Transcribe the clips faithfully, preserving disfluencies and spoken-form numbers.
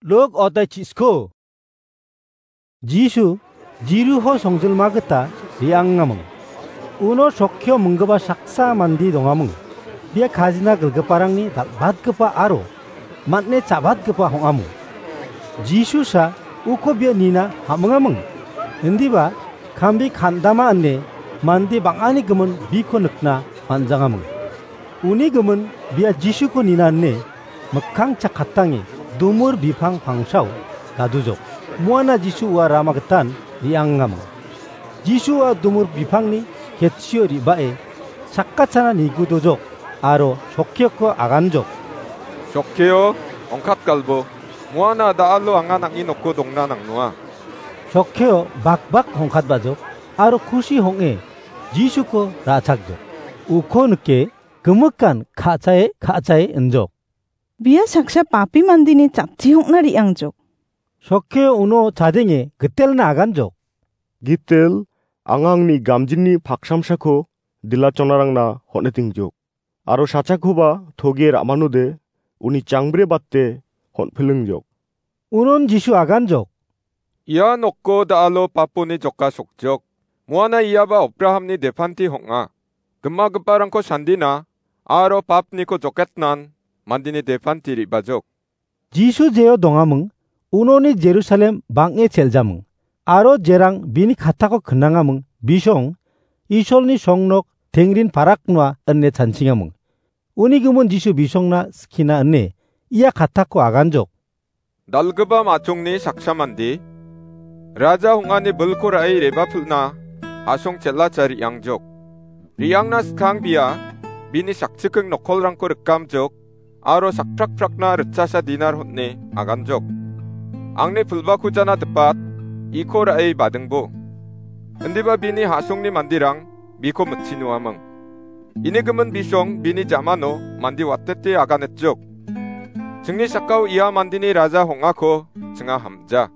Luk otai chisko. Jisu Jiruho songjilma gita re·angaming. Uno chokkio minggipa saksa mande dongaming. Bia kajina gilgiparangni dal·batgipa aro man·e cha·batgipa ong·aming. Jisu sa uko bia nina ham·ingaming. Indiba kambi kandama ine mande bang·ani gimin biko nikna man·jangaming. Uni gimin bia Jisuko nina ine mikkang chakkatange dumur bipang pangsao gadujok. Muana Jisu ua rama gitan re·angaming. Jisu ua dumur bipangni ketchio re·bae sakkachana nigudojok aro chokkioko aganjok. Chokkio, ongkatgalbo. Muana da·alo anga nang·ni noko dongna nangnoa. Chokkio bakbak ongkatbajok aro kusi ong·e Jisuko ra·chakjok. Uko nike gimikan ka·chae ka·chae injok. Bia saksa papi mandeni jatchi ong·na re·angjok. Chokkio uno chadenge Gitelna aganjok. Gitel, anga angni gamjini paksamsako dilachonarangna hon·etingjok. Aro sachakoba toge ra·manode uni changbre bate hon·pilingjok. Unon Jisu aganjok. Ia noko da·alo paponi joka sokjok. Muana iaba Abrahamni depanti ong·a. Gimagiparangko sandina aro papniko joketnan mandeni depanti re·bajok. Jisu jeo dongaming, unoni Jerusalem bang·e cheljaming, aro jerang bini katako knangaming, bisong Isolni songnok tengrin paraknoa ine chansingaming. Uni gimin Jisu bisongna skina ine ia katako aganjok. Dalgipa matchongni saksa mande, raja ong·ani bilko ra·e re·bapilna asong chel·acha re·angjok. Re·angna skang bia bini sakchikking nokkolrangko rikamjok aro sakprakprakna ritchasa dinar hon·e aganjok. Angni pilbako jana dipat, iko ra·e badingbo. Indiba bini a·songni manderang biko mitchi noaming. Ini gimin bisong bini jamano mande watete aganetjok. Chingni sakao ia mandeni raja ong·ako chinga hamja.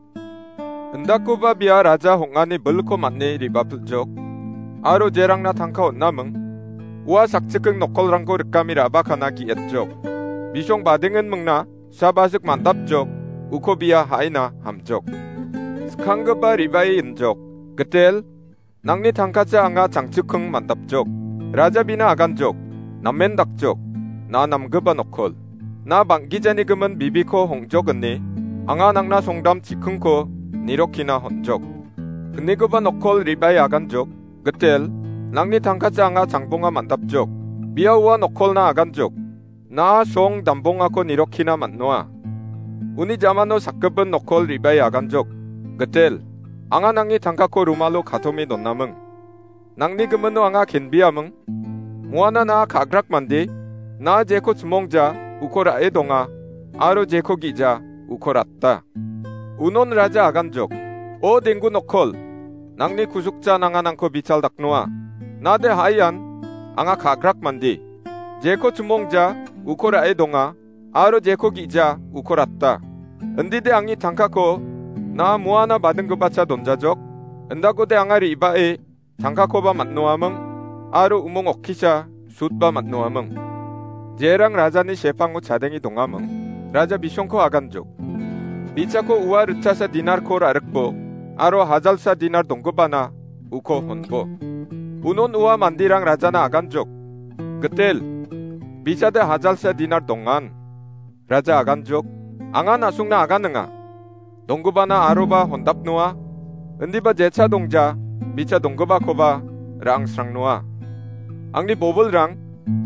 Indakoba bia raja ong·ani bilko man·e re·bapilchok. Aro jerangna tangka on·aming, ua sakchikking nokkolrangko rikami ra·bakana ge·etjok. Bisong badingen mingna sabajik man·dapjok, uko bia ha·ina hamjok. Skanggipa re·bae injok, Gitel, nangni tangkacha anga changchikking man·dapjok. Raja bina aganjok, namen dakjok, na namgipa nokkol. Na bang·gijani gimin bibiko hong·jok ine, anga nangna songdam chikkingko nirokkina hon·jok. Gnikoba nokkol re·bae aganjok, Gitel, nangni tangkacha anga changbonga man·dapjok. Bia ua nokkolna aganjok. Na song dambongako nirokkina man·noa. Uni jamano sakgipin nokkol re·bae aganjok. Gitel, anga nangni tangkako rumalo katome donaming. Nangni gimino anga kenbiaming. Muana na ka·grak mande, na jeko chimongja, uko ra·e donga, aro jeko gi·ja, uko rata. Unon raja aganjok, o denggu nokkol, nangni kusukja nanganangko bichal daknoa. Nade ha·ian, anga ka·grak mande. Jeko chimongja, uko ra·e donga, aro jeko gi·ja, uko rata. Indide angni tangkako, na muana badinggipacha donjajok, indakode anga re·bae, tangkakoba man·noaming, aro umong okkisa sutba man·noaming. Jerang rajani sepango chadenge dongaming, raja bisongko aganjok. Bichako ua ritchasa dinarko ra·rikbo, aro hajalsa dinar donggipana uko honbo. Unon ua manderang rajana aganjok. Gitel, bichade hajalsa dinar dongan. Raja aganjok, anga na·songna aganinga. Donggipana aroba hondapnoa, indiba jecha dongja, bicha donggipakoba ra·angsrangnoa. Angni bobilrang,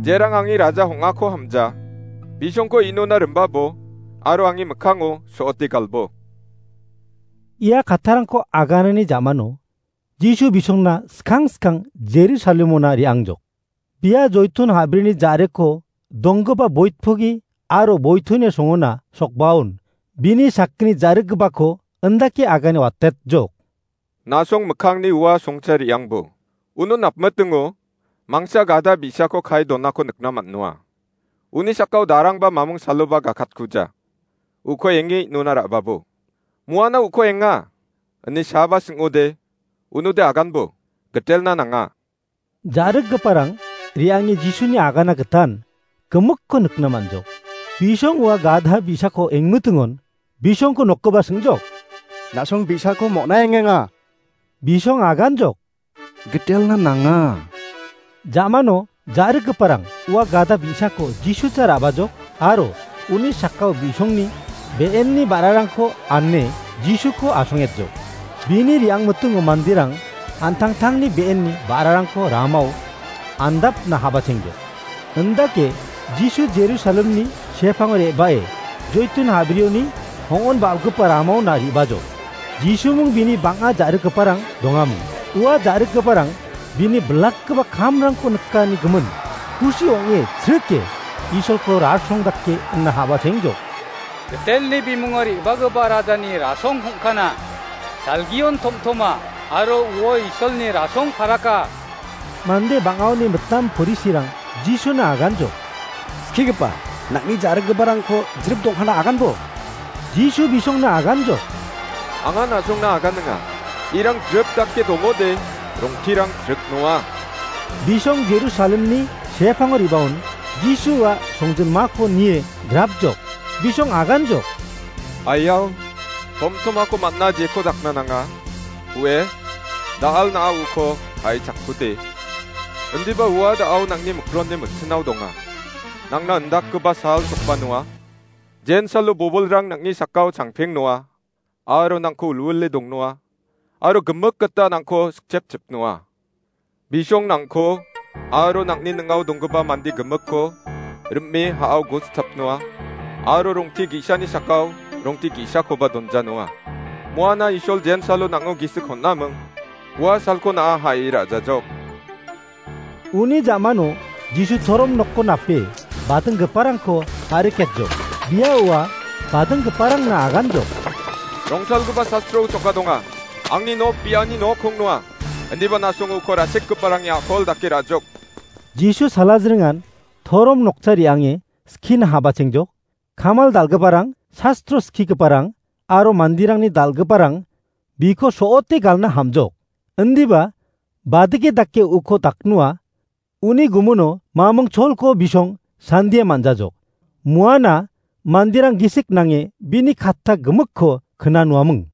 jerang angni raja ong·ako hamja, bisongko inona rimbabo, aro angni mikkango so·ote galbo. Ia kattarangko aganani jamano, Jisu bisongna skang skang Jerusalemona re·angjok. Bia Joitun habrini ja·riko donggipa boitpogi aro boituni songona sokbaon bini sakgni ja·rikgipako indake agane watetjok. Nasong mikkangni ua songcha re·angbo. Uno napmitingo mangsa gada bi·sako kae donako nikna man·noa. Uni sakao darangba mamung saloba gakatkuja. Uko enge nona ra·babo. Muana uko enga, ine saaba sing·ode, unode aganbo, Gitelna nanga. Ja·rikgiparang re·ange Jisuni agana gitan gimikko nikna man·jok. Bisong ua gadha bi·sako engmitingon Bisongko nokgipa singjok. Na·song bi·sako mona engenga. Bisong aganjok. Gitelna nanga. Jamano ja·rikgiparang ua gada bi·sako Jisucha ra·bajok aro uni sakao bisongni be·enni ba·rarangko ane Jisuko asongetjok. Bini re·angmitingo manderang an·tangtangni be·enni ba·rarangko ramao andapna habatengjok. Indake Jisu Jerusalemni sepango re·bae Joitun habrioni hongon ba·gipa ramaona re·bajok. Jisuming bini bang·a ja·rikgiparang dongaming. Ua ja·rikgiparang bini bilakgipa kamrangko nikani gimin kusi ong·e srike Isolko rasong dake ina habatengjok. Gitelni bimungo re·bagipa rajani rasong hongkana, salgion tomtoma aro uo Isolni rasong paraka. Mande bang·aoni mitam porisirang Jisuna aganjok. Skigipa, nang·ni ja·rikgiparangko jrip dongkana aganbo. Jisu bisongna aganjok. Anga na·songna aganinga. Irang jrip dake dongode, rongtirang jrip noa. Bisong Jerusalemni sepango re·baon Jisua songjinmako nie grapjok. Bisong aganjok. Aiao, tomtomako man·a jeko dakna nanga. Ue, da·al na·a uko hai chakkude. Indiba ua da·ao nang·ni mikronni mitchinao donga. Nangna indakgipa sal sokba noa. Jensalo bobolrang nang·ni sakao changpeng noa. Aro nangko ulwile dongnoa. Aro gimik gita nangko sikchepchipnoa. Bisong nangko aro nang·ni ning·ao donggipa mande gimikko rime ha·ao gositapnoa. Aro rongti ge·sani sakao rongti ge·sakoba donjanoa. Moana Isol jensalo nang·o gisik hon·aming. Ua salko na·a ha·e ra·jajok. Uni ja·mano Jisu torom nokko nape badinggiparangko tariketjok. Bia ua badinggiparangna aganjok. Rongtalgipa sastro uchoka donga. Angni nok biani nok hongnoa. Indiba na·songo uko rasekgiparangni a·kol dake ra·jok. Jisu salajringan torom nokcha re·ange skina habachengjok. Kamal dal·giparang, sastro skigiparang aro manderangni dal·giparang biko so·ote galna hamjok. Indiba badike dake uko daknoa, uni gumuno maming cholko bisong sandie man·jajok. Muana manderang gisik nange bini katta gimikko knanoaming.